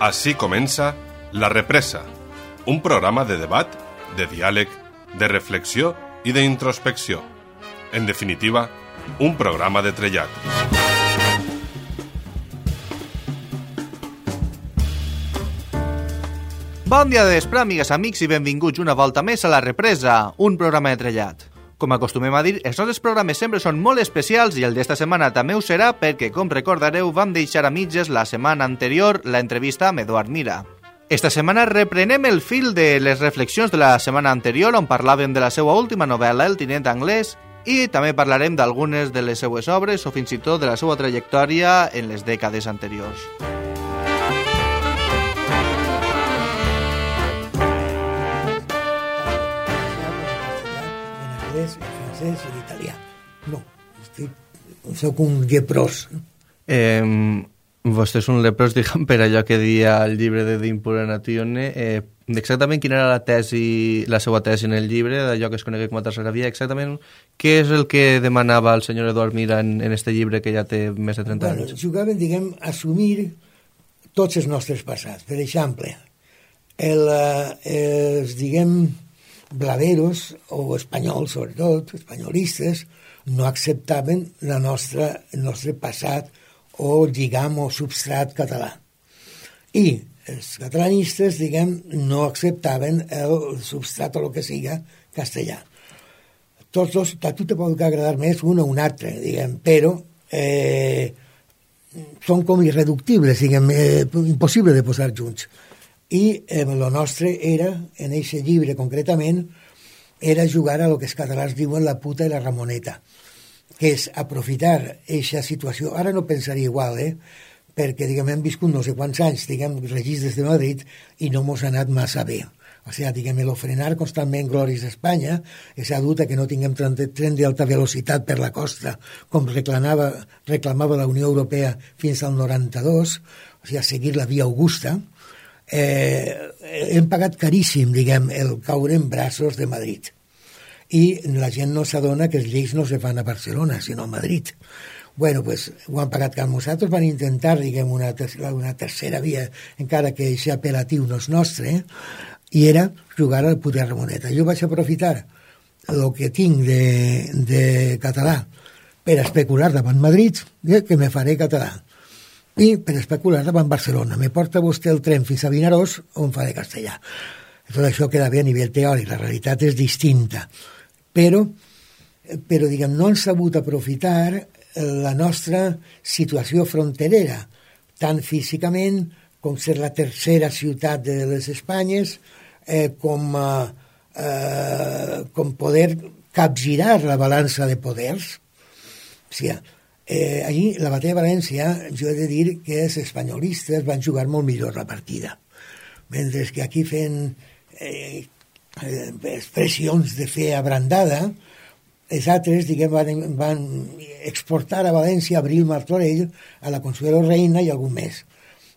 Así comença La Represa, un programa de debat, de diàleg, de reflexió i d'introspecció. En definitiva, un programa de trellat. Bon dia de vespre, amigues, amics, i benvinguts una volta més a La Represa, un programa de trellat. Com acostumem a dir, els nostres programes sempre són molt especials i el d'esta setmana també ho serà perquè, com recordareu, vam deixar a mitges la setmana anterior la entrevista amb Eduard Mira. Esta setmana reprenem el fil de les reflexions de la setmana anterior on parlàvem de la seva última novel·la, El tinent anglès, i també parlarem d'algunes de les seues obres o fins i tot de la seva trajectòria en les dècades anteriors. Francès i l'italià. No, soc un leprós. Vostè és un leprós, diguem, per allò que dia el llibre de D'Impura Natione. Exactament quina era la seva tesi en el llibre, d'allò que es conegué com a tercera via, exactament què és el que demanava el senyor Eduard Mira en este llibre que ja té més de 30 anys? Jugaven, diguem, a assumir tots els nostres passats. Per exemple, els, diguem, blaveros, o espanyols sobretot, espanyolistes, no acceptaven el nostre passat o, diguem, o substrat català. I els catalanistes, diguem, no acceptaven el substrat o el que siga castellà. Tots dos, a tu te pot agradar més un o un altre, diguem, però són com irreductibles, diguem, impossible de posar junts. I el nostre era, en aquest llibre concretament, era jugar a lo que els catalans diuen la puta i la ramoneta, que és aprofitar aquesta situació. Ara no pensaria igual, perquè, diguem, hem viscut no sé quants anys, diguem, regits des de Madrid i no mos ha anat massa bé. O sigui, diguem, el frenar constantment gloris d'Espanya s'ha dut a que no tinguem tren d'alta velocitat per la costa, com reclamava la Unió Europea fins al 92, o sigui, a seguir la via Augusta. Hem pagat caríssim, diguem, el caure en braços de Madrid. I la gent no s'adona que les lleis no se fan a Barcelona, sinó a Madrid. Bueno, pues ho han pagat car nosaltres van intentar, diguem, una tercera via, encara que aquest apel·latiu no és nostre, i era jugar al puta ramoneta. Jo vaig aprofitar el que tinc de català per especular davant Madrid, que me faré català. I per especular davant Barcelona. Me porta vostè el tren fins a Vinaròs on fa de castellà. Tot això queda bé a nivell teòric, la realitat és distinta. Però diguem, no han sabut aprofitar la nostra situació fronterera, tant físicament com ser la tercera ciutat de les Espanyes, com poder capgirar la balança de poders. O sigui, allí, la batalla de València, jo he de dir que els espanyolistes van jugar molt millor la partida. Mentre que aquí feien expressions de fe abrandada, els altres, diguem, van exportar a València Abril Martorell, a la Consuelo Reina i algun més.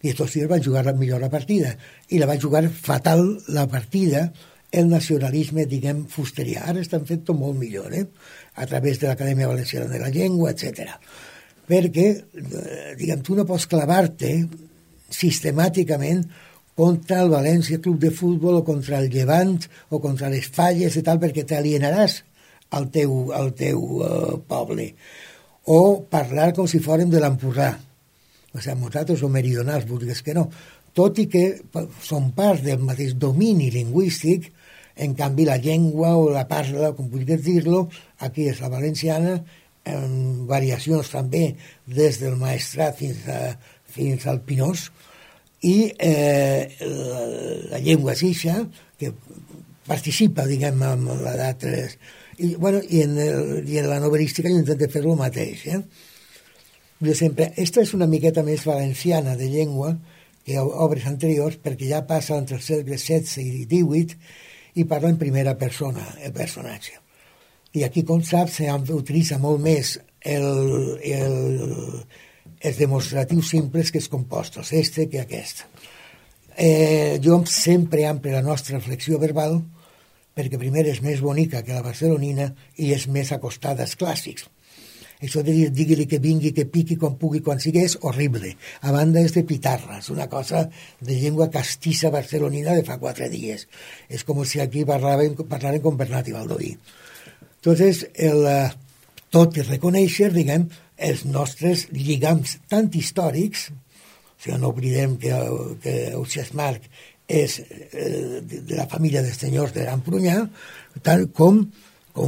I aquests tios van jugar millor la partida. I la va jugar fatal la partida el nacionalisme, diguem, fusterià. Ara estan fent tot molt millor, a través de l'Acadèmia Valenciana de la Llengua, etc. Perquè, diguem, tu no pots clavar-te sistemàticament contra el València Club de Futbol o contra el Llevant o contra les Falles i tal, perquè t'alienaràs al teu poble. O parlar com si fórem de l'Empordà. O sigui, nosaltres som meridionals, vulguis que no. Tot i que són part del mateix domini lingüístic, en canvi la llengua o la parla, com vulguis dir-lo, aquí és la valenciana, en variacions també des del Maestrat fins al Pinós, i la llengua sixa, que participa, diguem, amb d'altres. I en la novel·lística jo intento fer-lo mateix. Jo sempre, esta és una miqueta més valenciana de llengua que obres anteriors, perquè ja passa entre els segles XVI i XVIII i parla en primera persona, el personatge. I aquí, com saps, utilitza molt més els demostratius simples que els compostos, que aquest. Jo sempre ampli la nostra reflexió verbal perquè primer és més bonica que la barcelonina i és més acostada als clàssics. Això de digui-li que vingui, que piqui quan pugui, quan sigui, és horrible. A banda és de pitarra, és una cosa de llengua castissa barcelonina de fa 4 dies. És com si aquí parlaren com Bernat i Baldoví. Entonces, tot i reconèixer, diguem, els nostres lligams tant històrics, o sigui, no oblidem que Ausiàs Marc és de la família dels senyors de l'Emprunyà, tant com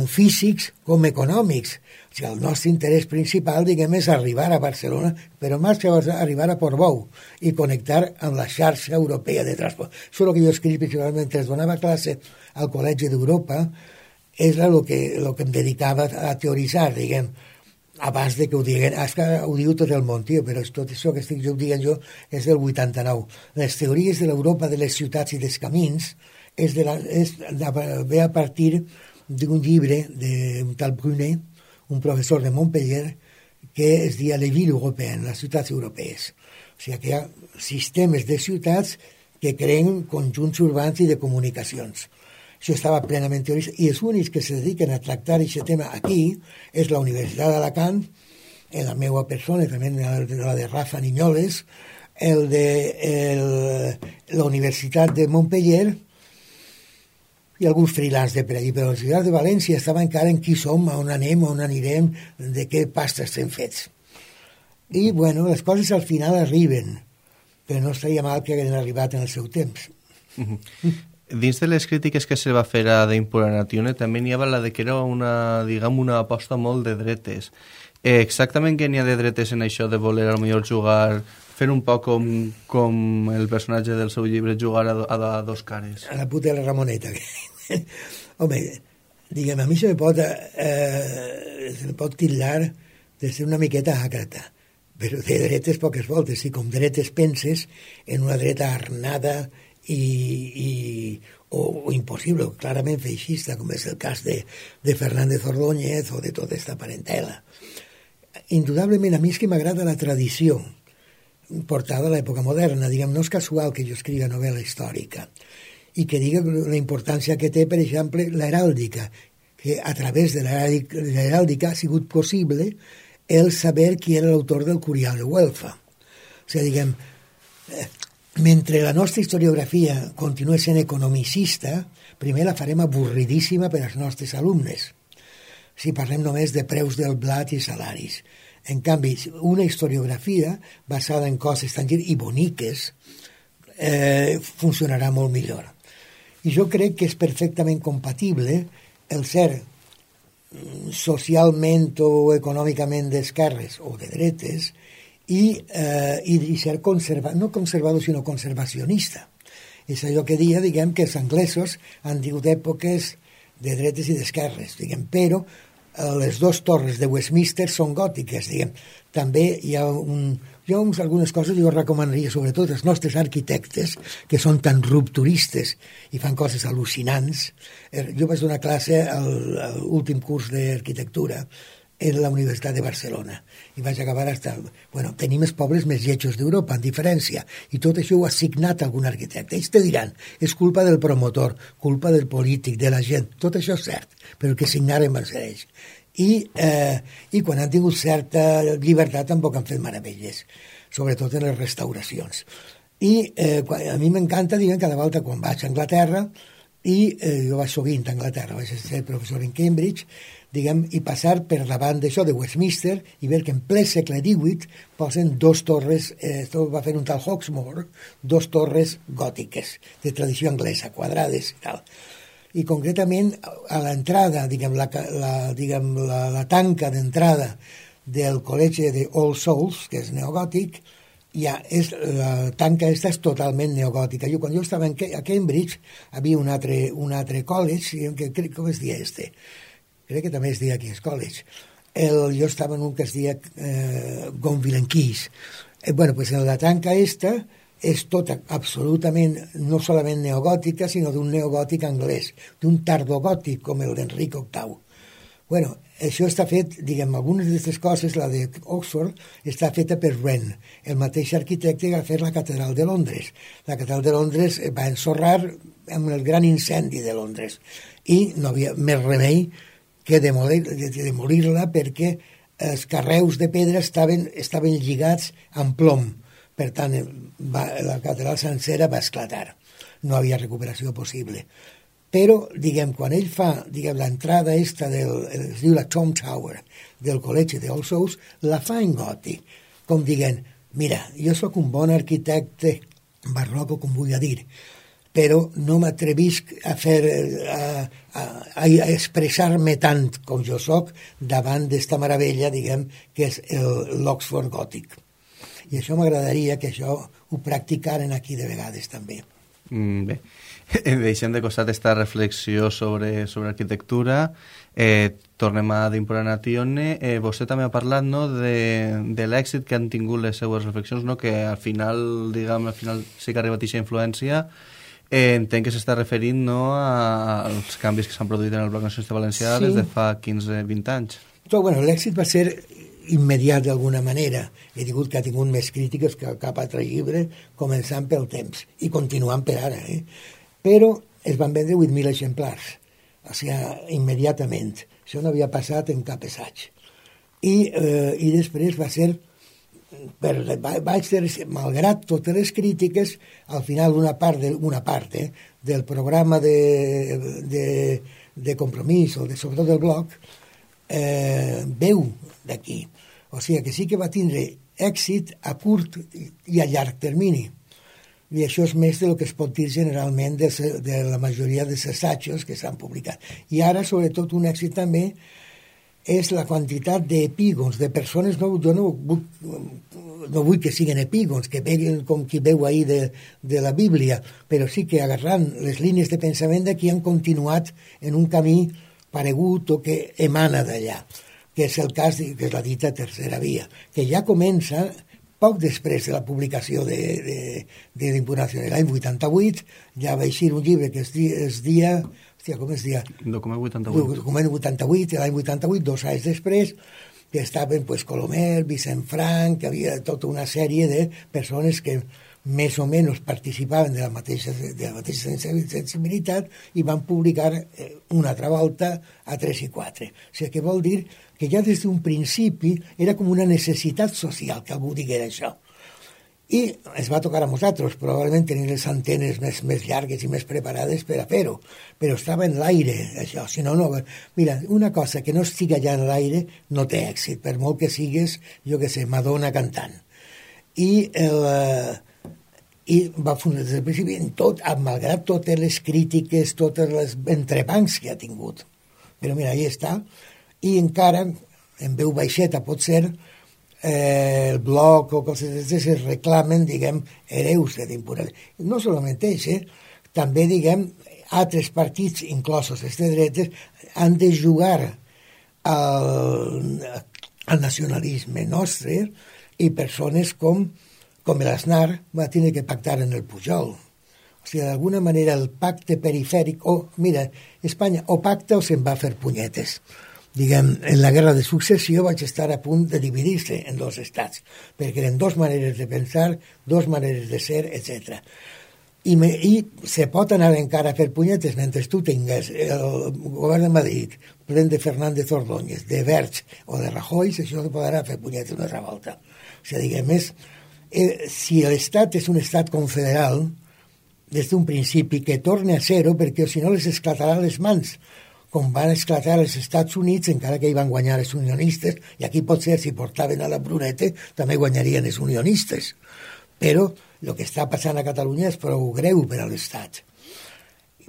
físics, com econòmics. O sigui, el nostre interès principal, diguem, és arribar a Barcelona, però més que arribar a Portbou i connectar amb la xarxa europea de transport. Això és el que jo escric principalment mentre donava classe al Col·legi d'Europa, és el que em dedicava a teoritzar, diguem, abans de que ho diguen, és que ho diu tot el món, tio, però tot això que estic dient jo és del 89. Les teories de l'Europa de les ciutats i dels camins ve a partir d'un llibre d'un tal Brunet, un professor de Montpellier, que es deia Les villes européennes, les ciutats europees. O sigui que hi ha sistemes de ciutats que creen conjunts urbans i de comunicacions. Això estava plenament teoritzat, i els únics que se dediquen a tractar aquest tema aquí és la Universitat d'Alacant, la meva persona, també la de Rafa Niñoles, la Universitat de Montpellier i alguns freelance de per allí, però la Universitat de València estava encara en qui som, on anem, on anirem, de què pasta estem fets. I, bueno, les coses al final arriben, però no estaria mal que haguessin arribat en el seu temps. Dins de les crítiques que se va fer a The Impuranatione també n'hi havia la de que era una aposta molt de dretes. Exactament què n'hi ha de dretes en això de voler a lo millor jugar, fer un poc com el personatge del seu llibre, jugar a dos cares? A la puta de la Ramoneta. Home, diguem, a mi se me pot titllar de ser una miqueta àcrata, però de dretes poques voltes, i com dretes penses en una dreta arnada o impossible, clarament feixista, com és el cas de Fernández Ordóñez o de tota aquesta parentela. Indudablement, a mi és que m'agrada la tradició portada a l'època moderna. Diguem, no és casual que jo escriga novel·la històrica i que diga la importància que té, per exemple, l'heràldica, que a través de l'heràldica ha sigut possible el saber qui era l'autor del Curial de Güelfa. O sigui, diguem, mentre la nostra historiografia continua sent economicista, primer la farem avorridíssima per als nostres alumnes, si parlem només de preus del blat i salaris. En canvi, una historiografia basada en coses tan i boniques funcionarà molt millor. I jo crec que és perfectament compatible el ser socialment o econòmicament d'esquerres o de dretes i ser no conservador, sinó conservacionista. És allò que dia, diguem, que els anglesos han tingut èpoques de dretes i d'esquerres, diguem, però les dues torres de Westminster són gòtiques, diguem. També hi ha algunes coses jo recomanaria, sobretot als nostres arquitectes, que són tan rupturistes i fan coses al·lucinants. Jo vaig donar classe a l'últim curs d'arquitectura en la Universitat de Barcelona i vaig acabar bueno, tenim els pobles més lletjos d'Europa, en diferència, i tot això ho ha signat algun arquitecte. Ells te diran, és culpa del promotor, culpa del polític, de la gent, tot això és cert, però el que signaren van ser ells. I quan han tingut certa llibertat tampoc han fet meravelles, sobretot en les restauracions. I a mi m'encanta, diguem, cada volta quan vaig a Anglaterra, i jo vaig sovint a Anglaterra, vaig ser professor en Cambridge, diguem, i passar per davant d'això de Westminster i veure que en ple segle XVIII posen dos torres, això va fer un tal Hawksmoor, dos torres gòtiques de tradició anglesa, quadrades i tal. I concretament a l'entrada, diguem, la tanca d'entrada del col·legi de All Souls, que és neogòtic, la tanca aquesta és totalment neogòtica. Quan jo estava a Cambridge havia un altre college, com es deia este? Crec que també es deia King's College. Jo estava en un que es deia Gonville and Keys. Pues la tanca esta és tota absolutament, no solament neogòtica, sinó d'un neogòtic anglès, d'un tardogòtic com el d'Enric VIII. Això està fet, diguem, algunes d'aquestes coses, la d'Oxford, està feta per Wren, el mateix arquitecte que va fer la Catedral de Londres. La Catedral de Londres va ensorrar amb el gran incendi de Londres i no havia més remei que demolir-la perquè els carreus de pedra estaven lligats amb plom. Per tant, la catedral sencera va esclatar. No havia recuperació possible. Però, quan ell fa, l'entrada es diu la Tom Tower del Col·legi d'All Souls, la fa en gòtic, com dient, mira, jo sóc un bon arquitecte barroco, com vull dir, però no m'atrevisc a expressar-me tant com jo sóc davant d'esta meravella, que és l'Oxford gòtic. I això m'agradaria que això ho practicaren aquí de vegades també. Bé, deixem de costat aquesta reflexió sobre arquitectura. Tornem a d'Imporanatione. Vostè també ha parlat, no, de l'èxit que han tingut les seues reflexions, no, que al final sí que ha arribat a aquesta influència. Entenc que s'està referint, no, als canvis que s'han produït en el Bloc Nacionalista Valencià des de fa 15-20 anys. L'èxit va ser immediat d'alguna manera. He dit que ha tingut més crítiques que cap altre llibre, començant pel temps i continuant per ara. Però es van vendre 8.000 exemplars, o sigui, immediatament. Això no havia passat en cap assaig. I després va ser, malgrat totes les crítiques, al final una part del programa de compromís, o sobretot del bloc, veu d'aquí. O sigui que sí que va tindre èxit a curt i a llarg termini. I això és més del que es pot dir generalment de la majoria dels assajos que s'han publicat. I ara, sobretot, un èxit també és la quantitat d'epígons, de persones, jo no vull que siguin epígons, que veguen com qui veu ahir de la Bíblia, però sí que agarrant les línies de pensament d'aquí han continuat en un camí paregut o que emana d'allà, que és el cas que és la dita tercera via, que ja comença poc després de la publicació de l'Impugnació. L'any 88 ja va eixir un llibre que es dia... Hòstia, com es dia? Document 88. Document 88, l'any 88, 2 anys després, que estaven Colomer, Vicent Frank, que havia tota una sèrie de persones que més o menys participaven de la mateixa sensibilitat i van publicar una altra volta a 3 i 4. O sigui, que vol dir que ja des d'un principi era com una necessitat social que algú diguera això. I es va tocar a nosaltres, probablement tenir les antenes més llargues i més preparades per a fer-ho, però estava en l'aire, això. Si no, mira, una cosa que no estigui allà en l'aire no té èxit, per molt que sigues, jo què sé, Madonna cantant. I va fundar des del principi, malgrat totes les crítiques, totes les entrebancs que ha tingut. Però mira, ahí està. I encara, en veu baixeta pot ser, el bloc o coses d'aquestes es reclamen, hereus d'Imporanatione. No solament això, també, altres partits, inclosos els de dretes, han de jugar al nacionalisme nostre i persones com l'Aznar va tenir que pactar en el Pujol. O sigui, d'alguna manera el pacte perifèric, Espanya o pacta o se'n va a fer punyetes. En la guerra de successió vaig estar a punt de dividir-se en 2 estats, perquè eren 2 maneres de pensar, 2 maneres de ser, etc. I se pot anar encara a fer punyetes mentre tu tingues el govern de Madrid, plen de Fernández Ordóñez, de Verge o de Rajoy, això se podrà fer punyetes una altra volta. O sigui, si l'estat és un estat confederal, des d'un principi que torni a ser-ho, perquè si no les esclataran les mans, com van esclatar els Estats Units, encara que hi van guanyar els unionistes, i aquí pot ser, si portaven a la Brunete, també guanyarien els unionistes. Però el que està passant a Catalunya és prou greu per a l'Estat.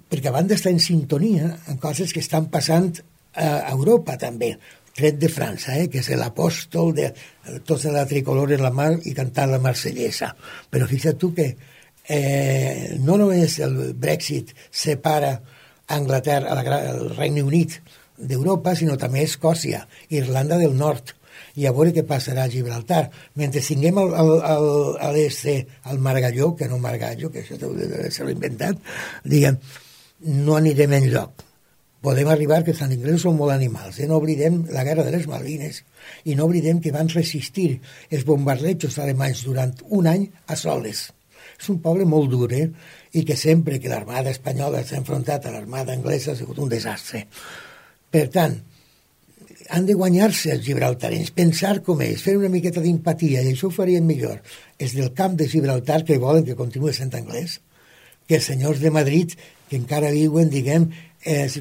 Perquè a banda està en sintonia amb coses que estan passant a Europa també, tret de França, que és l'apòstol de tota la tricolor en la mar i cantar la marsellesa. Però fixa't tu que no només el Brexit separa Anglaterra, el Regne Unit d'Europa, sinó també Escòcia, Irlanda del Nord, i a veure què passarà a Gibraltar. Mentre tinguem a l'est el Margalló, que no Margallo, que això deu ser inventat, no anirem enlloc. Podem arribar que els inglesos són molt animals. No oblidem la guerra de les Malvines i no oblidem que van resistir els bombardejos alemanys durant un any a soles. És un poble molt dur, i que sempre que l'armada espanyola s'ha enfrontat a l'armada anglesa ha sigut un desastre. Per tant, han de guanyar-se els gibraltarenys, pensar com ells, fer una miqueta d'empatia, i això ho farien millor. És del camp de Gibraltar que volen que continuï sent anglès, que els senyors de Madrid, que encara viuen, diguem,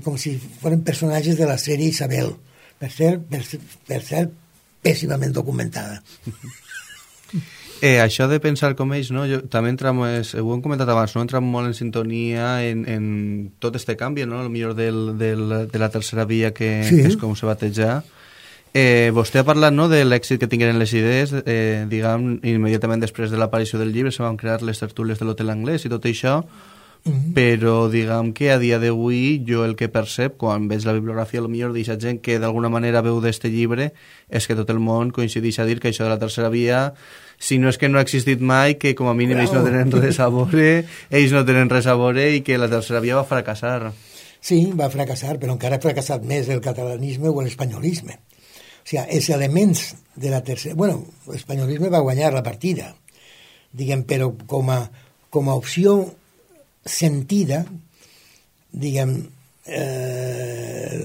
com si foren personatges de la sèrie Isabel, per ser pèssimament documentada. Això de pensar com ells, no? També ho hem comentat abans, no? Entram molt en sintonia en tot este canvi, no? El millor de la tercera via que és com se bateja. Vostè ha parlat, no?, de l'èxit que tingueren les idees, diguem, immediatament després de l'aparició del llibre se van crear les tertúlies de l'Hotel Anglès i tot això, però diguem que a dia d'avui jo el que percep quan veig la bibliografia millor d'aquesta gent que d'alguna manera veu d'este llibre és que tot el món coincideix a dir que això de la tercera via, si no és que no ha existit mai, que com a mínim ells no tenen res a veure i que la tercera via va fracassar. Sí, va fracassar, però encara ha fracassat més el catalanisme o l'espanyolisme. O sigui, els elements de la tercera... Bueno, l'espanyolisme va guanyar la partida, diguem, però com a opció sentida, diguem,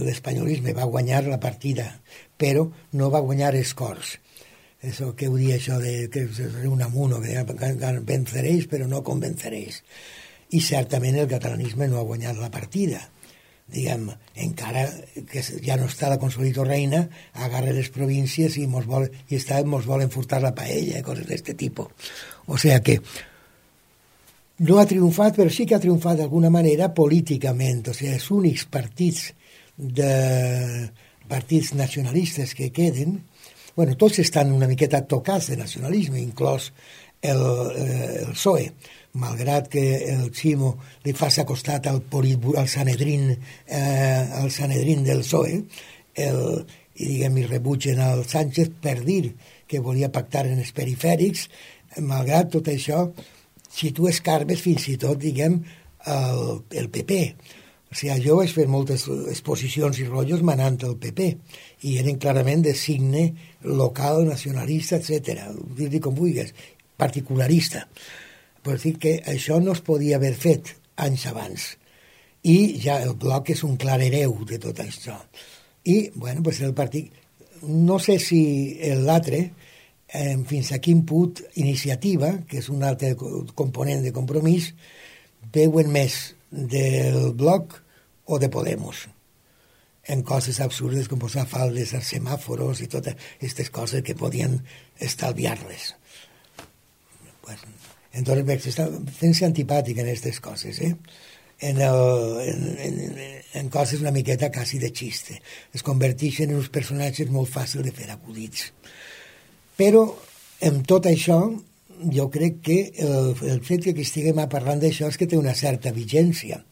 l'espanyolisme va guanyar la partida, però no va guanyar els cors. Això que ho dia això de que és un amuno, que venceréis però no convenceréis. I certament el catalanisme no ha guanyat la partida. Diguem, encara que ja no està la Consolito Reina, agarra les províncies i mos volen furtar la paella, coses d'aquest tipus. O sigui que no ha triomfat, però sí que ha triomfat d'alguna manera políticament. O sigui, els únics partits nacionalistes que queden, bueno, tots estan una miqueta tocats de nacionalisme, inclòs el PSOE, malgrat que el Ximo li fa costat al Sanedrín del PSOE, i diguem, i rebutgen al Sánchez per dir que volia pactar en els perifèrics. Malgrat tot això, si tu escarbes fins i tot, diguem, el PP. O sigui, jo vaig fer moltes exposicions i rotllos manant el PP, i eren clarament de signe local, nacionalista, etc. Dir-li com vulguis, particularista. Però dir que això no es podia haver fet anys abans. I ja el Bloc és un clar hereu de tot això. I, bueno, pues el partit... No sé si l'altre... fins a quin punt Iniciativa, que és un altre component de Compromís, veuen més del Bloc o de Podemos en coses absurdes com posar faldes als semàforos i totes aquestes coses que podien estalviar-les. Pues, entonces està fent-se antipàtic en aquestes coses, en coses una miqueta quasi de xiste. Es converteixen en uns personatges molt fàcils de fer acudits. Però, amb tot això, jo crec que el fet que estiguem parlant d'això és que té una certa vigència.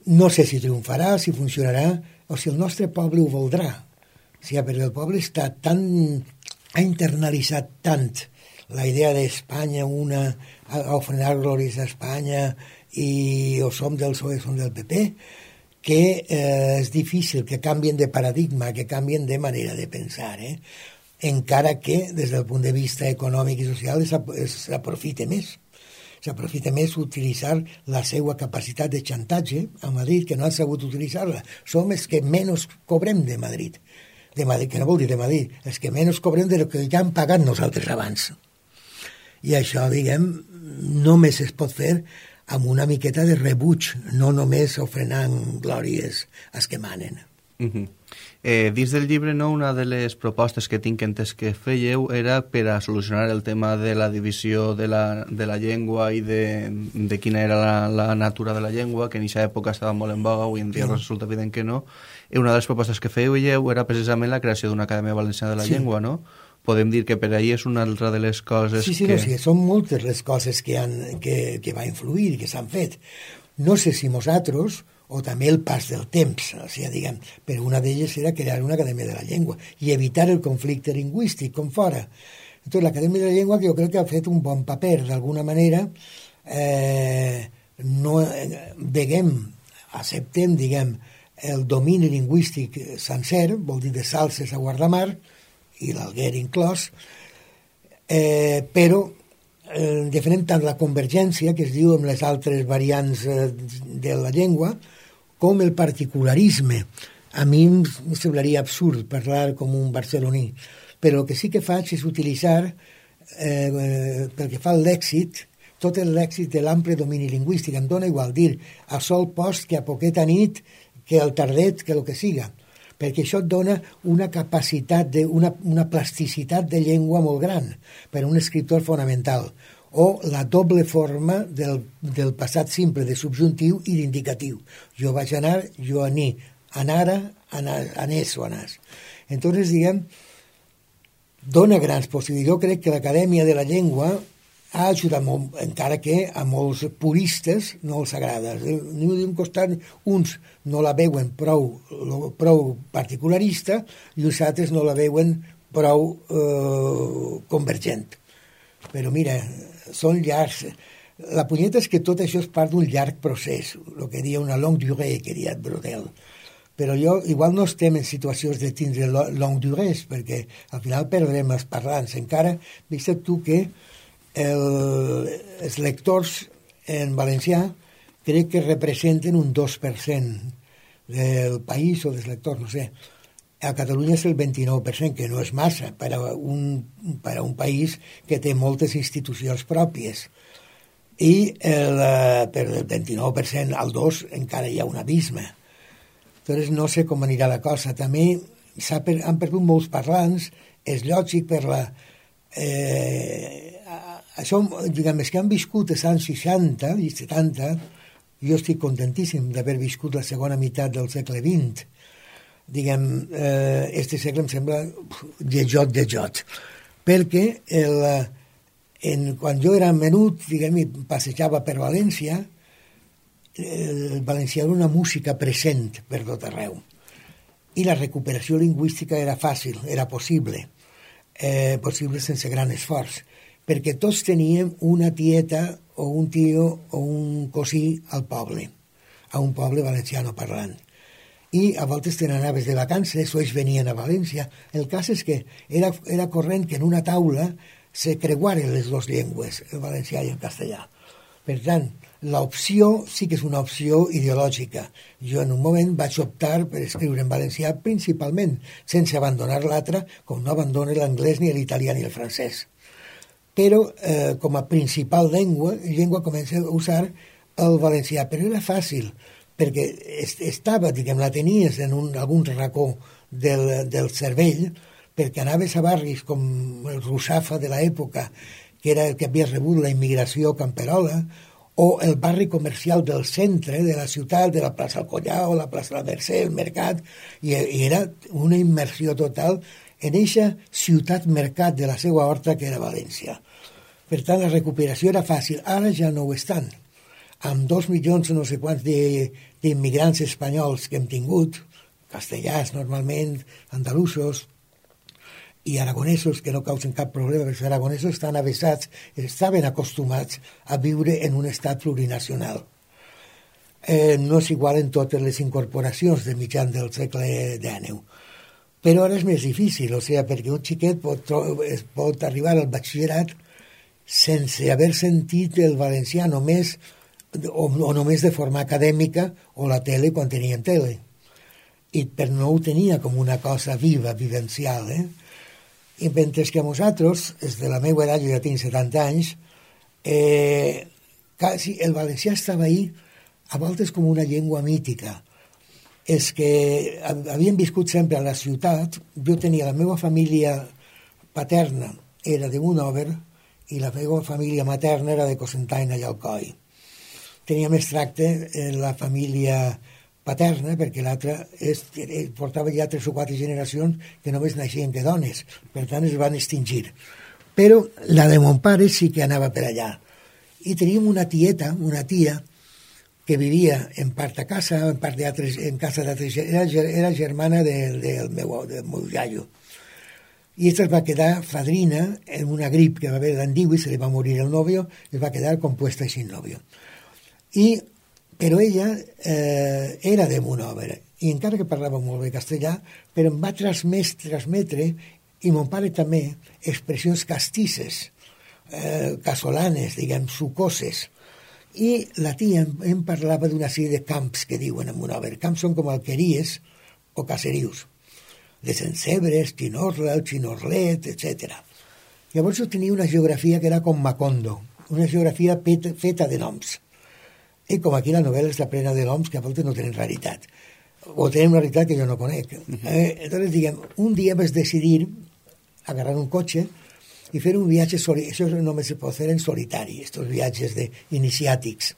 No sé si triomfarà, si funcionarà, o si el nostre poble ho voldrà. O sigui, perquè el poble ha internalitzat tant la idea d'Espanya, a ofrenar glòries a Espanya, i o som del PSOE o som del PP, que és difícil que canvien de paradigma, que canvien de manera de pensar, encara que des del punt de vista econòmic i social s'aprofita més. S'aprofita més utilitzar la seva capacitat de xantatge a Madrid, que no han sabut utilitzar-la. Som els que menys cobrem de Madrid, que no vol dir de Madrid, els que menys cobrem del que ja han pagat nosaltres abans. I això, diguem, només es pot fer amb una miqueta de rebuig, no només ofrenant glòries als que manen. Dins del llibre, no, una de les propostes que tinc entès que fèieu era per a solucionar el tema de la divisió de la llengua i de quina era la natura de la llengua, que en aquesta època estava molt en boga, avui en dia resulta evident que no. I una de les propostes que fèieu era precisament la creació d'una Acadèmia Valenciana de la Llengua, no? Podem dir que per ahir és una altra de les coses que... Sí, són moltes les coses que va influir i que s'han fet. No sé si nosaltres, o també el pas del temps, o sigui, diguem, però una d'elles era crear una Acadèmia de la Llengua i evitar el conflicte lingüístic com fora. Entonces, l'Acadèmia de la Llengua, que jo crec que ha fet un bon paper, d'alguna manera, no acceptem, diguem, el domini lingüístic sencer, vol dir de Salses a Guardamar, i l'Alguer inclòs, però definem tant la convergència, que es diu amb les altres variants de la llengua, com el particularisme A mi em semblaria absurd parlar com un barceloní, però el que sí que faig és utilitzar, pel que fa al lèxic, tot l'èxit de l'ample domini lingüístic. Em dóna igual dir a sol post que a poqueta nit, que al tardet, que el que siga, perquè això et dona una capacitat, una plasticitat de llengua molt gran per a un escriptor fonamental, o la doble forma del passat simple, de subjuntiu i d'indicatiu. Jo vaig anar, jo aní, anara, anés o anàs. Entonces, diguem, dona grans possibilitats. Jo crec que l'Acadèmia de la Llengua ha ajudat molt, encara que a molts puristes no els agrada. D'un costat, uns no la veuen prou particularista i els altres no la veuen prou convergent. Però mira, són llargs. La punyeta és que tot això és part d'un llarg procés, el que diria una longue durée, que diria Brodel. Però igual no estem en situacions de tindre longue durée, perquè al final perdrem els parlants. Encara, vist tu que els lectors en valencià crec que representen un 2% del país o dels lectors, no sé. A Catalunya és el 29%, que no és massa per a un país que té moltes institucions pròpies. I per el 29% al 2% encara hi ha un abisme. Llavors no sé com anirà la cosa. També han perdut molts parlants, és lògic per la... Això, diguem, els que han viscut els anys 60 i 70, jo estic contentíssim d'haver viscut la segona meitat del segle XX. Diguem, este segle em sembla llejot, perquè quan jo era menut, diguem, i passejava per València, el valencià era una música present per tot arreu. I la recuperació lingüística era fàcil, era possible sense gran esforç, perquè tots teníem una tieta o un tio o un cosí al poble, a un poble valenciano parlant. I a voltes te n'anaves de vacances o ells venien a València. El cas és que era corrent que en una taula se creuaren les dues llengües, el valencià i el castellà. Per tant, l'opció sí que és una opció ideològica. Jo en un moment vaig optar per escriure en valencià principalment, sense abandonar l'altre, com no abandona l'anglès ni l'italià ni el francès. Però com a principal llengua comença a usar el valencià, però era fàcil, perquè estava, diguem, la tenies en algun racó del cervell, perquè anaves a barris com el Russafa de l'època, que era el que havia rebut la immigració camperola, o el barri comercial del centre de la ciutat, de la plaça Alcollà o la plaça de la Mercè, el mercat, i era una immersió total en eixa ciutat-mercat de la seva horta que era València. Per tant, la recuperació era fàcil. Ara ja no ho és tant. Amb 2 milions no sé quants d'immigrants espanyols que hem tingut, castellans normalment, andalusos i aragonesos, que no causen cap problema, perquè els aragonesos estaven acostumats a viure en un estat plurinacional. No és igual en totes les incorporacions de mitjan del segle XIX. Però ara és més difícil, perquè un xiquet pot arribar al batxillerat sense haver sentit el valencià només o només de forma acadèmica o la tele quan tenien tele. I per no ho tenia com una cosa viva, vivencial. I mentre que a nosaltres, des de la meva edat, jo ja tinc 70 anys, quasi el valencià estava ahí a voltes com una llengua mítica. És que havien viscut sempre a la ciutat. Jo tenia la meva família paterna, era de Monòver, i la meva família materna era de Cocentaina i Alcoi. Tenia més tracte en la família paterna, perquè l'altra portava ja 3 o 4 generacions que només naixien de dones, per tant es van extingir. Però la de mon pare sí que anava per allà. I teníem una tia, que vivia en part a casa, en part en casa d'altres, era germana del meu iaio. I esta es va quedar fadrina en una grip que va haver d'andiu i se li va morir el novio, i va quedar compuesta i sin novio. Però ella era de Monòver, i encara que parlava molt bé castellà, però em va transmetre, i mon pare també, expressions castisses, casolanes, diguem, sucoses. I la tia em parlava d'una sèrie de camps que diuen a Monòver. Camps són com alqueries, o caserius, de Sensebres, Chinorla, Chinorlet, etc. Llavors jo tenia una geografia que era com Macondo, una geografia feta de noms. I com aquí la novel·la està plena de noms que a voltes no tenen realitat, o tenen una realitat que jo no conec. Entonces, diguem, un dia vaig decidir agarrar un cotxe i fer un viatge, això només se pot fer en solitari, estos viatges iniciàtics.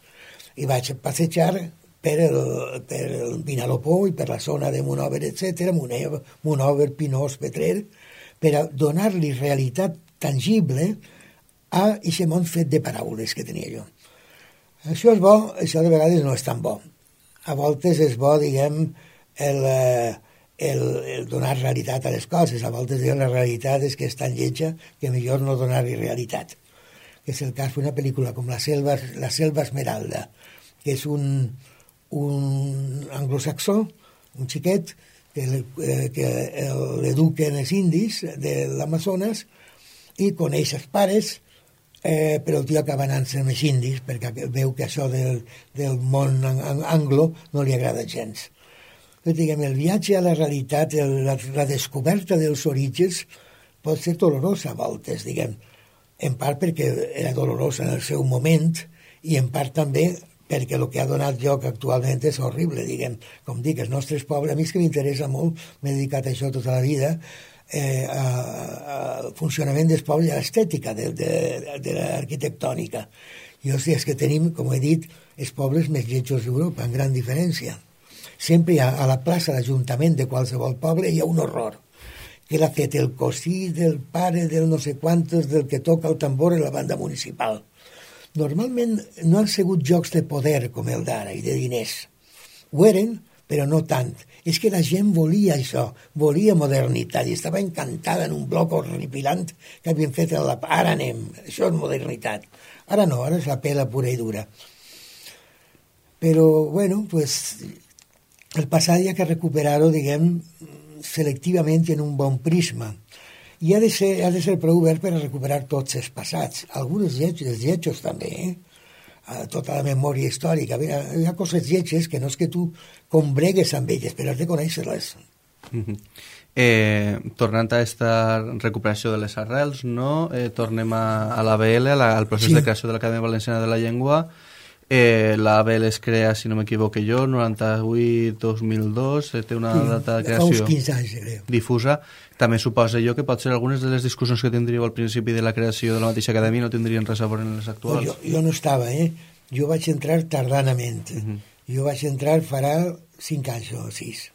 I vaig passejar per el Vinalopó i per la zona de Monòver, etc., Monòver, Pinós, Petrer, per a donar-li realitat tangible a aquest món fet de paraules que tenia jo. Això és bo, això de vegades no és tan bo. A voltes és bo, diguem, el donar realitat a les coses. A voltes la realitat és que és tan lletja que millor no donar-li realitat. Que és el cas d'una pel·lícula com La selva esmeralda, que és un anglosaxó, un xiquet, que l'eduquen els indis de l'Amazones i coneix els pares, però el tio acaba anant-se amb els indis perquè veu que això del món anglo no li agrada gens. Diguem, el viatge a la realitat, la descoberta dels orígens pot ser dolorosa a voltes, diguem, en part perquè era dolorosa en el seu moment i en part també perquè el que ha donat lloc actualment és horrible, diguem. Com dic, els nostres pobles, a mi és que m'interessa molt, m'he dedicat a això tota la vida, al funcionament dels pobles i a l'estètica de l'arquitectònica. I és que tenim, com he dit, els pobles més lletjos d'Europa, en gran diferència. Sempre a la plaça d'Ajuntament de qualsevol poble hi ha un horror, que l'ha fet el cosí del pare del no sé quantos, del que toca el tambor en la banda municipal. Normalment no han sigut jocs de poder com el d'ara i de diners. Ho eren, però no tant. És que la gent volia això, volia modernitat i estava encantada en un bloc horripilant que havien fet ara anem, això és modernitat. Ara no, ara és la pela pura i dura. Però, bueno, pues, el passat hi ha que recuperar-ho, diguem, selectivament i en un bon prisma. I ha de ser prou obert per a recuperar tots els passats. Alguns lletjos també, tota la memòria històrica. Hi ha coses lletges que no és que tu combregues amb elles, però has de conèixer-les. Tornant a aquesta recuperació de les arrels, no? Tornem a l'ABL, al procés de creació de l'Acadèmia Valenciana de la Llengua. L'ABL es crea, si no m'equivoque jo, 98-2002, té una data de creació 15 anys, crec. Difusa. També suposa jo que potser algunes de les discussions que tindríeu al principi de la creació de la mateixa acadèmia no tindrien res a veure en les actuals. Jo no estava, jo vaig entrar tardanament. Jo vaig entrar farà 5 anys o 6.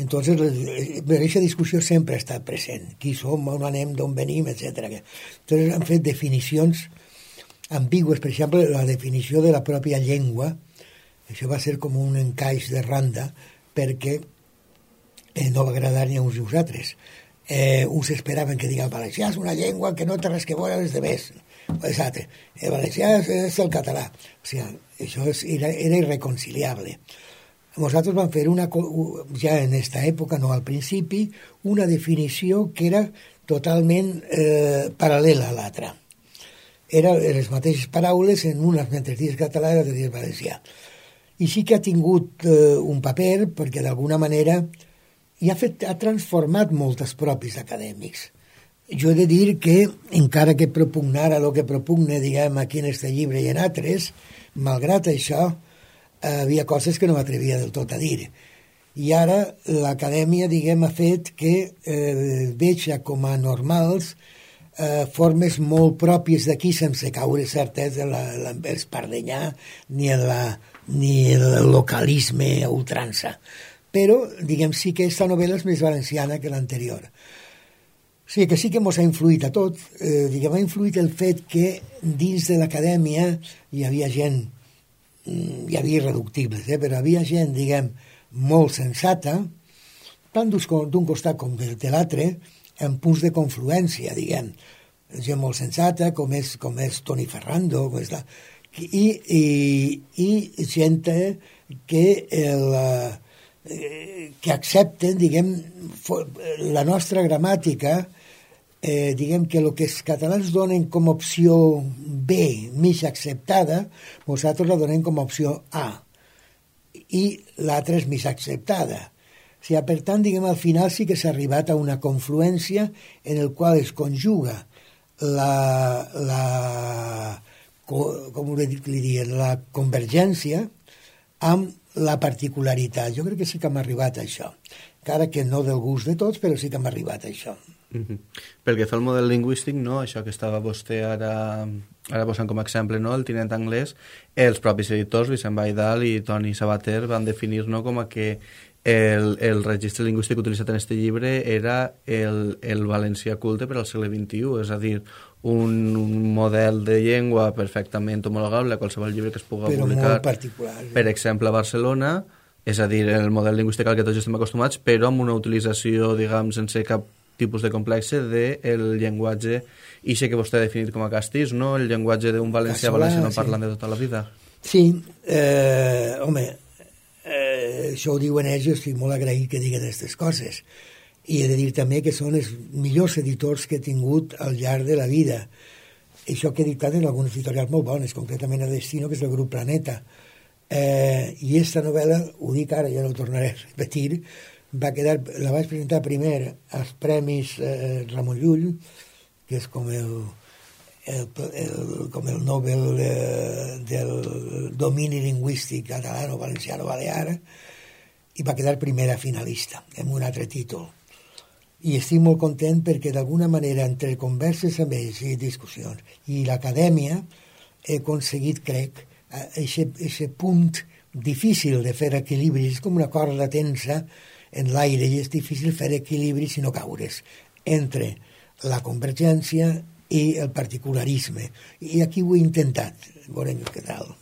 Entonces, aquesta discussió sempre ha estat present. Qui som, on anem, d'on venim, etc. Entonces han fet definicions ambigües, per exemple, la definició de la pròpia llengua. Això va ser com un encaix de randa perquè no va agradar ni a uns i uns altres. Uns esperaven que diguin el valencià és una llengua que no té res que veure amb els demés. Exacte. El valencià és el català. O sigui, això era irreconciliable. Nosaltres vam fer ja en aquesta època, no al principi, una definició que era totalment paral·lela a l'altra. Eren les mateixes paraules en unes mentre dies català i altres dies valencià. I sí que ha tingut un paper perquè d'alguna manera i ha transformat molts propis acadèmics. Jo he de dir que, encara que propugnara el que propugne, diguem, aquí en este llibre i en altres, malgrat això, havia coses que no m'atrevia del tot a dir. I ara l'acadèmia, diguem, ha fet que veja com a normals formes molt pròpies d'aquí sense caure certes l'espardenyà ni el localisme a ultrança. Però, diguem, sí que aquesta novel·la és més valenciana que l'anterior. O sigui que sí que ens ha influït a tot. Diguem, ha influït el fet que dins de l'acadèmia hi havia gent, hi havia irreductibles, però hi havia gent, diguem, molt sensata, tant d'un costat com de l'altre, en punts de confluència, diguem. Gent molt sensata, com és Toni Ferrando, i gent que accepten, diguem, la nostra gramàtica, diguem que el que els catalans donen com a opció B, mig acceptada, nosaltres la donem com a opció A, i l'altra és mig acceptada. O sigui, per tant, diguem, al final sí que s'ha arribat a una confluència en el qual es conjuga com li diuen, la convergència amb la particularitat. Jo crec que sí que hem arribat a això. Encara que no del gust de tots, però sí que hem arribat a això. Pel que fa al model lingüístic, no? Això que estava vostè ara posant com a exemple, no? El tinent anglès, els propis editors, Vicent Baidal i Toni Sabater, van definir, no, com a que el registre lingüístic utilitzat en aquest llibre era el valencià culte per al segle XXI, és a dir, un model de llengua perfectament homologable a qualsevol llibre que es pugui publicar, molt particular, per exemple, a Barcelona, és a dir, el model lingüístic al que tots estem acostumats, però amb una utilització, diguem, sense cap tipus de complexe del llenguatge ixe que vostè ha definit com a castís, no? El llenguatge d'un valencià valencià parlant de tota la vida. Sí, home, això ho diuen ells, jo estic molt agraït que diguen aquestes coses. I he de dir també que són els millors editors que he tingut al llarg de la vida. Això que he dictat en algunes editorials molt bones, concretament a Destino, que és el grup Planeta. I aquesta novel·la, ho dic ara, ja no ho tornaré a repetir, la vaig presentar primer als Premis Ramon Llull, que és com el Nobel del domini lingüístic català o valenciano balear, i va quedar primera finalista en un altre títol. I estic molt content perquè d'alguna manera entre converses amb ells i discussions i l'acadèmia he aconseguit, crec, aquest punt difícil de fer equilibri. És com una corda tensa en l'aire i és difícil fer equilibri si no caures entre la convergència i el particularisme. I aquí ho he intentat. Veurem què tal.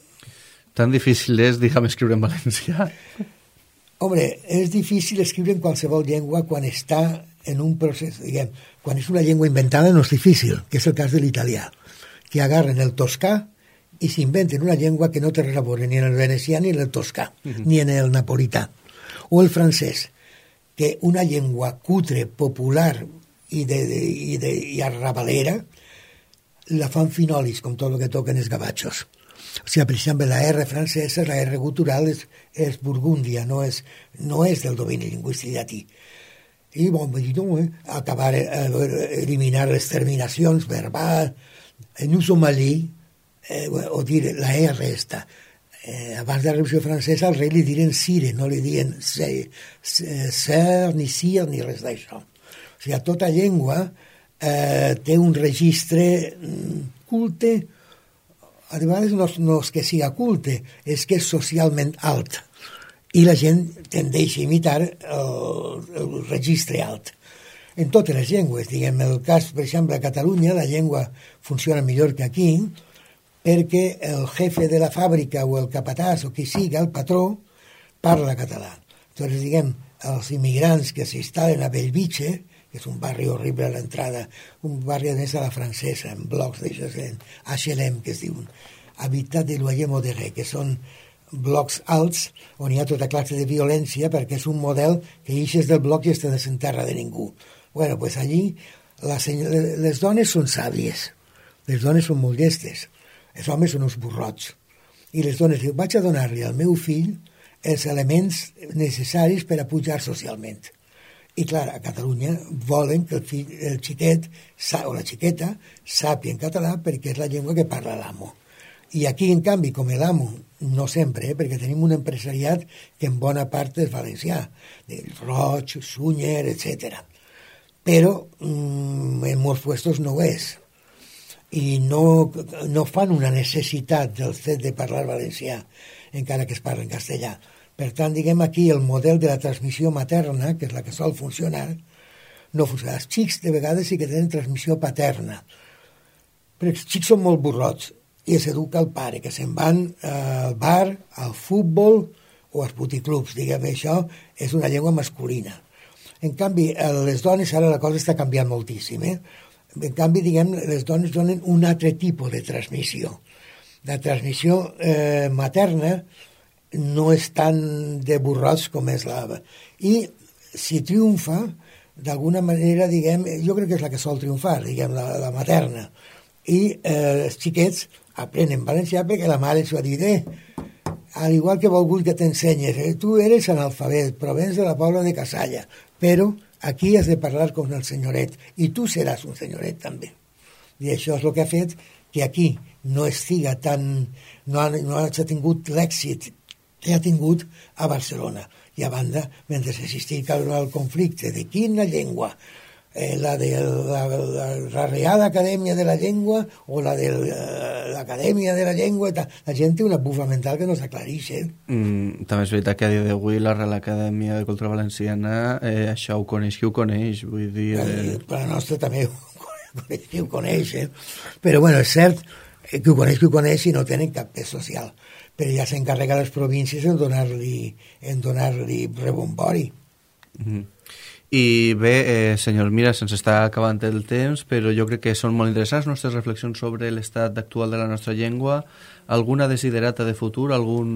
Tan difícil és, diguem, escriure en valencià? Home, és difícil escriure en qualsevol llengua quan està en un procés, diguem, quan és una llengua inventada no és difícil, que és el cas de l'italià, que agarren el toscà i s'inventen una llengua que no té res a veure ni en el venecià ni en el toscà, ni en el napolità. O el francès, que una llengua cutre, popular i arrabalera, la fan finolis, com tot el que toquen els gavatxos. O sigui, per exemple, la R francesa, la R gutural és burgúndia, no és del domini lingüístic llatí. I, acabar eliminar les terminacions verbals, en un somalí, o dir la R esta. Abans de la Revolució Francesa al rei li diren sire, no li diuen ser, ni sir, ni res d'això. O sigui, tota llengua té un registre culte, a vegades no és que siga culte, és que és socialment alt. I la gent tendeix a imitar el registre alt. En totes les llengües, diguem, en el cas, per exemple, a Catalunya, la llengua funciona millor que aquí, perquè el jefe de la fàbrica o el capatàs o qui siga, el patró, parla català. Entonces, diguem, els immigrants que s'instal·len a Bellvitge, que és un barri horrible a l'entrada, un barri més a la francesa, en blocs d'aixòs, en HLM, que es diuen, Habitat de Loyer Modéré, que són blocs alts on hi ha tota classe de violència perquè és un model que ixes del bloc i es te desenterra de ningú. Bueno, pues allí les dones són sàvies, les dones són molt llestes, els homes són uns burrots. I les dones diuen, vaig a donar-li al meu fill els elements necessaris per a pujar socialment. I clar, a Catalunya volen que el xiquet o la xiqueta sàpia en català perquè és la llengua que parla l'amo. I aquí, en canvi, com l'amo, no sempre, perquè tenim un empresariat que en bona part és valencià, del Roig, Sunyer, etc. Però en molts puestos no ho és. I no fan una necessitat del fet de parlar valencià, encara que es parla en castellà. Per tant, diguem aquí, el model de la transmissió materna, que és la que sol funcionar, no funciona. Els xics, de vegades, sí que tenen transmissió paterna. Però els xics són molt burrots i s'educa el pare, que se'n van al bar, al futbol o als puticlubs. Diguem, això és una llengua masculina. En canvi, les dones, ara la cosa està canviant moltíssim, En canvi, diguem, les dones donen un altre tipus de transmissió. La transmissió materna no és tan de burrots com és la... I si triomfa, d'alguna manera, diguem, jo crec que és la que sol triomfar, diguem, la materna. I els xiquets aprenen valencià perquè la mare s'ho ha dit, al igual que volgut que t'ensenyes, tu eres analfabet, provens de la Pobla de Casalla, però aquí has de parlar com el senyoret, i tu seràs un senyoret també. I això és el que ha fet que aquí no estiga tan... no ha tingut l'èxit que ha tingut a Barcelona. I a banda, mentre existia el conflicte de quina llengua, la de la Real Acadèmia de la Llengua o la de l'Acadèmia de la Llengua, la gent té una bufa mental que no s'aclareix. També és veritat que a dia d'avui la Real Acadèmia de Cultura Valenciana això ho coneix qui ho coneix, vull dir... Per la nostra també ho coneix qui ho coneix, però bueno, és cert que ho coneix i no tenen cap pes social, però ja s'encarrega les províncies en donar-li rebombori. I bé, senyor Mira, se'ns està acabant el temps, però jo crec que són molt interessants les nostres reflexions sobre l'estat actual de la nostra llengua. Alguna desiderata de futur, algun,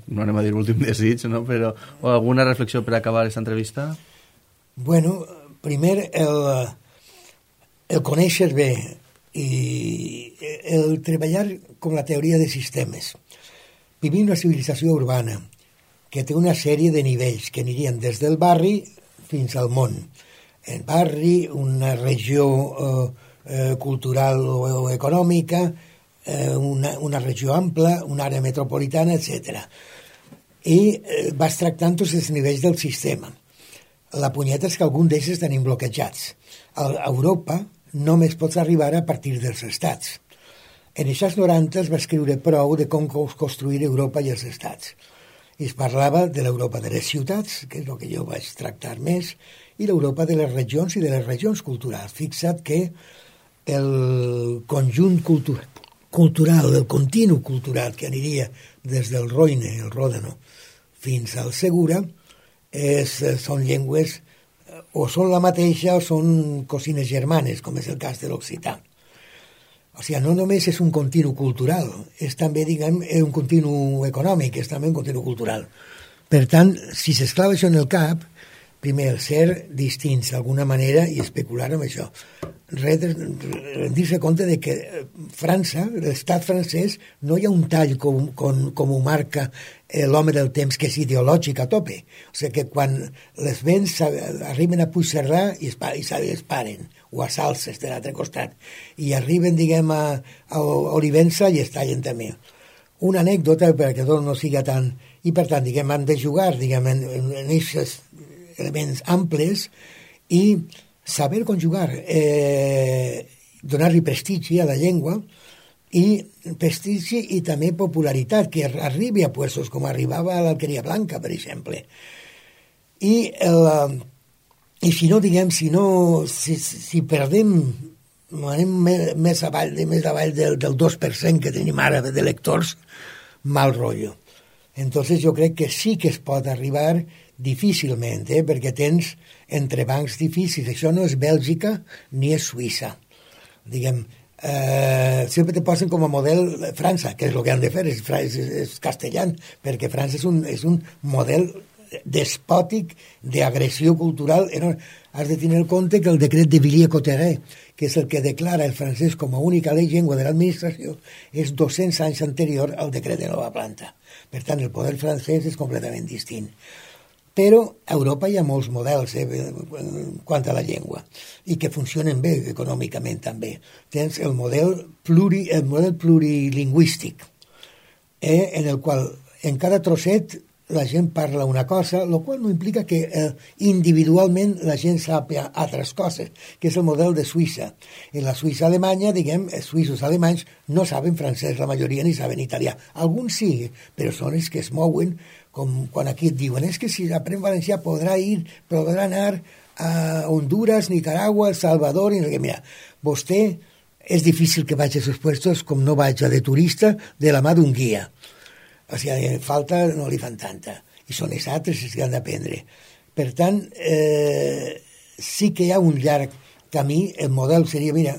no anem a dir últim desig, no? Però, o alguna reflexió per acabar aquesta entrevista? Bueno, primer el conèixer bé i el treballar com la teoria de sistemes. Vivim una civilització urbana que té una sèrie de nivells que anirien des del barri fins al món. El barri, una regió cultural o econòmica, una regió ampla, una àrea metropolitana, etc. I vas tractant tots els nivells del sistema. La punyeta és que alguns d'ells estan bloquejats. A Europa només pots arribar a partir dels estats. En aquests 90 es va escriure prou de com construir Europa i els estats. I es parlava de l'Europa de les ciutats, que és el que jo vaig tractar més, i l'Europa de les regions i de les regions culturals. Fixa't que el conjunt cultural, el continu cultural que aniria des del Roine, el Ròdano, fins al Segura, són llengües o són la mateixa o són cosines germanes, com és el cas de l'occità. O sigui, no només és un continu cultural, és també, diguem, un continu econòmic, és també un continu cultural. Per tant, si s'esclava això en el cap, primer, el ser distints d'alguna manera i especular amb això. Rendir-se compte de que França, l'estat francès, no hi ha un tall com ho marca l'home del temps, que és ideològic a tope. O sigui que quan les vents arriben a Puigcerdà i es paren, o a Salses de l'altre costat, i arriben, diguem, a Olivença i es tallen també. Una anècdota perquè tot no siga tant... I per tant, diguem, han de jugar, diguem, en aquests elements amples i saber conjugar, donar-li prestigi a la llengua i prestigi i també popularitat, que arribi a puestos com arribava a l'Alqueria Blanca, per exemple. I si no, diguem, si perdem, anem més avall del 2% que tenim ara de lectors, mal rotllo. Entonces jo crec que sí que es pot arribar difícilment, perquè tens entrebancs difícils. Això no és Bèlgica ni és Suïssa. Diguem, sempre te posen com a model França, que és el que han de fer, és castellà, perquè França és un model despòtic d'agressió cultural. Has de tenir en compte que el decret de Villiers-Cotterêts, que és el que declara el francès com a única llengua de l'administració, és 200 anys anterior al decret de Nova Planta. Per tant, el poder francès és completament distint. Però a Europa hi ha molts models quant a la llengua i que funcionen bé econòmicament també. Tens el model plurilingüístic, en el qual en cada trosset la gent parla una cosa, el qual no implica que individualment la gent sàpiga altres coses, que és el model de Suïssa. En la Suïssa alemanya, diguem, els suïssos alemanys no saben francès, la majoria ni saben italià. Alguns sí, però són els que es mouen, com quan aquí et diuen, és que si aprèn valencià podrà anar a Honduras, Nicaragua, El Salvador, i no sé què. Mira, vostè és difícil que vagi a aquests puestos com no vaig de turista de la mà d'un guia. O sigui, falta no li fan tanta. I són els altres que han d'aprendre. Per tant, sí que hi ha un llarg camí. El model seria, mira,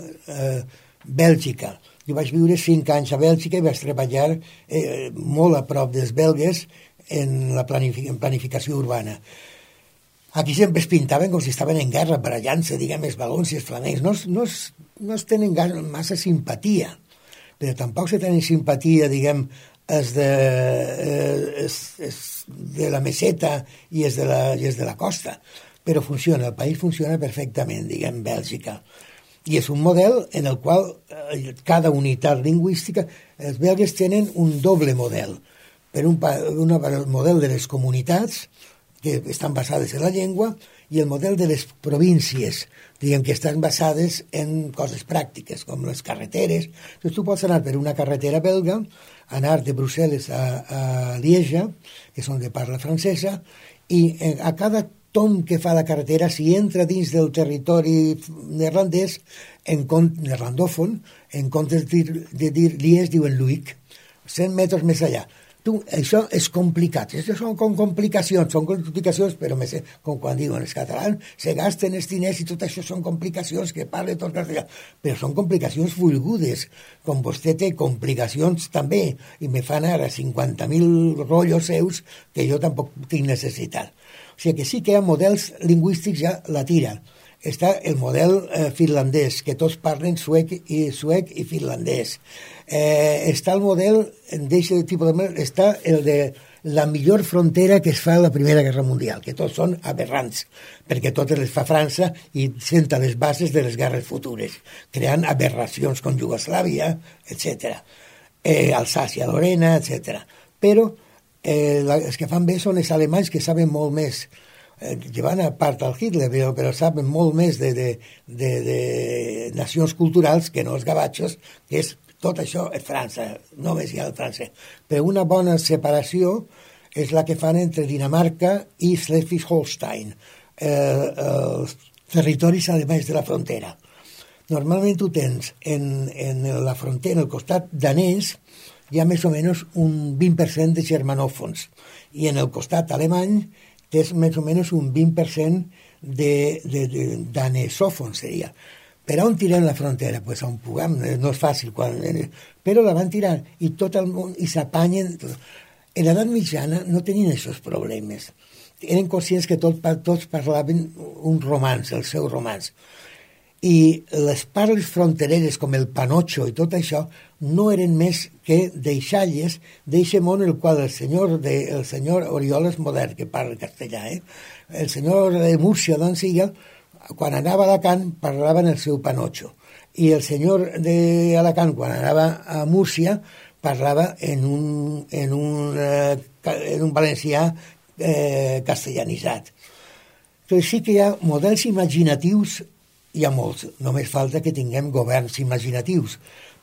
Bèlgica. Jo vaig viure 5 anys a Bèlgica i vaig treballar molt a prop dels belgues en la planificació urbana. Aquí sempre es pintaven com si estaven en guerra, barallant-se, diguem, els valons i els flamencs. No es tenen massa simpatia, però tampoc se tenen simpatia, diguem, és de la meseta i és de la costa, però funciona, el país funciona perfectament, diguem, Bèlgica. I és un model en el qual cada unitat lingüística, els belgues tenen un doble model. El model de les comunitats, que estan basades en la llengua, i el model de les províncies, diguem, que estan basades en coses pràctiques, com les carreteres. Doncs tu pots anar per una carretera belga, anar de Brussel·les a Lieja, que és on parla francesa, i a cada tom que fa la carretera, si entra dins del territori neerlandès, neerlandòfon, en comptes de dir Lies, diuen Luik, 100 metres més allà. Això és complicat, això són complicacions, però com quan diuen els catalans, se gasten els diners i tot això són complicacions que parlen tot castellà, però són complicacions volgudes, com vostè té complicacions també, i me fan ara 50.000 rotllos seus que jo tampoc tinc necessitat. O sigui que sí que hi ha models lingüístics, ja la tira. Està el model finlandès, que tots parlen suec i finlandès. Està el model, està el de la millor frontera que es fa a la Primera Guerra Mundial, que tots són aberrants, perquè totes les fa França i senta les bases de les guerres futures, creant aberracions com Iugoslàvia, etc. Alsàcia-Lorena, etc. Però els que fan bé són els alemanys, que saben molt més, llevant a part al Hitler, però saben molt més de nacions culturals que no els gavatxos, que és tot això és França, només hi ha el francès. Però una bona separació és la que fan entre Dinamarca i Schleswig-Holstein, els territoris alemanys de la frontera. Normalment tu tens en la frontera, en el costat danès, hi ha més o menys un 20% de germanòfons, i en el costat alemany tens més o menys un 20% de danesòfons, seria. Per on tirem la frontera? Pues on puguem, no és fàcil, però la van tirar i tot el món, i s'apanyen. En l'edat mitjana no tenien aquests problemes. Eren conscients que tots parlaven un romanç, el seu romanç. I les parles frontereres com el panotxo i tot això no eren més que deixalles d'eixe món el qual el senyor Oriol és modern, que parla castellà, el senyor de Múrcia, d'on siga, quan anava a Alacant parlava en el seu panotxo, i el senyor d'Alacant quan anava a Múrcia parlava en un valencià castellanitzat. Doncs sí que hi ha models imaginatius. Hi ha molts, només falta que tinguem governs imaginatius,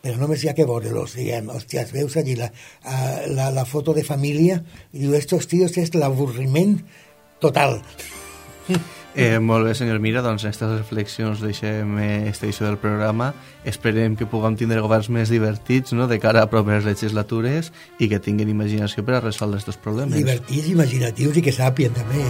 però només hi ha que veure-los, diguem. Hòstia, veus allí la foto de família i diu, estos tíos és l'avorriment total. Molt bé, senyor Mira, doncs en aquestes reflexions deixem aquesta edició del programa. Esperem que puguem tindre governs més divertits, no?, de cara a properes legislatures, i que tinguin imaginació per a resoldre aquests problemes. Divertits, imaginatius i que sàpien també.